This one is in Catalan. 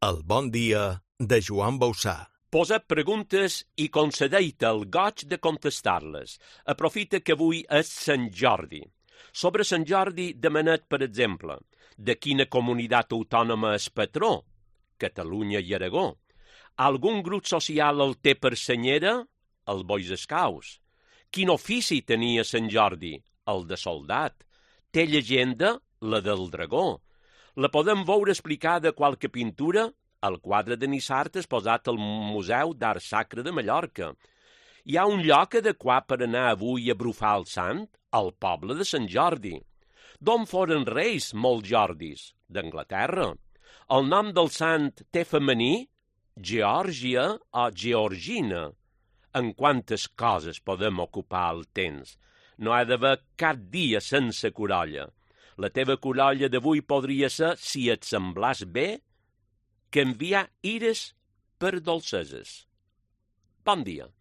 El bon dia de Joan Bausà. Posa preguntes i concedeix-te el goig de contestar-les. Aprofita que avui és Sant Jordi. Sobre Sant Jordi demanet, per exemple, de quina comunitat autònoma és patró? Catalunya i Aragó. Algun grup social el té per senyera? El Bois Scouts. Quin ofici tenia Sant Jordi? El de soldat. Té llegenda? La del dragó. La podem veure explicada a qualque pintura? El quadre de Nissart exposat al Museu d'Art Sacre de Mallorca. Hi ha un lloc adequat per anar avui a brufar el sant? Al poble de Sant Jordi. D'on foren reis molts Jordis? D'Anglaterra. El nom del sant té femení? Geòrgia o Georgina. En quantes coses podem ocupar el temps? No ha d'haver cap dia sense curolla. La teva curolla d'avui podria ser, si et semblàs bé, que enviar ires per dolceses. Bon dia.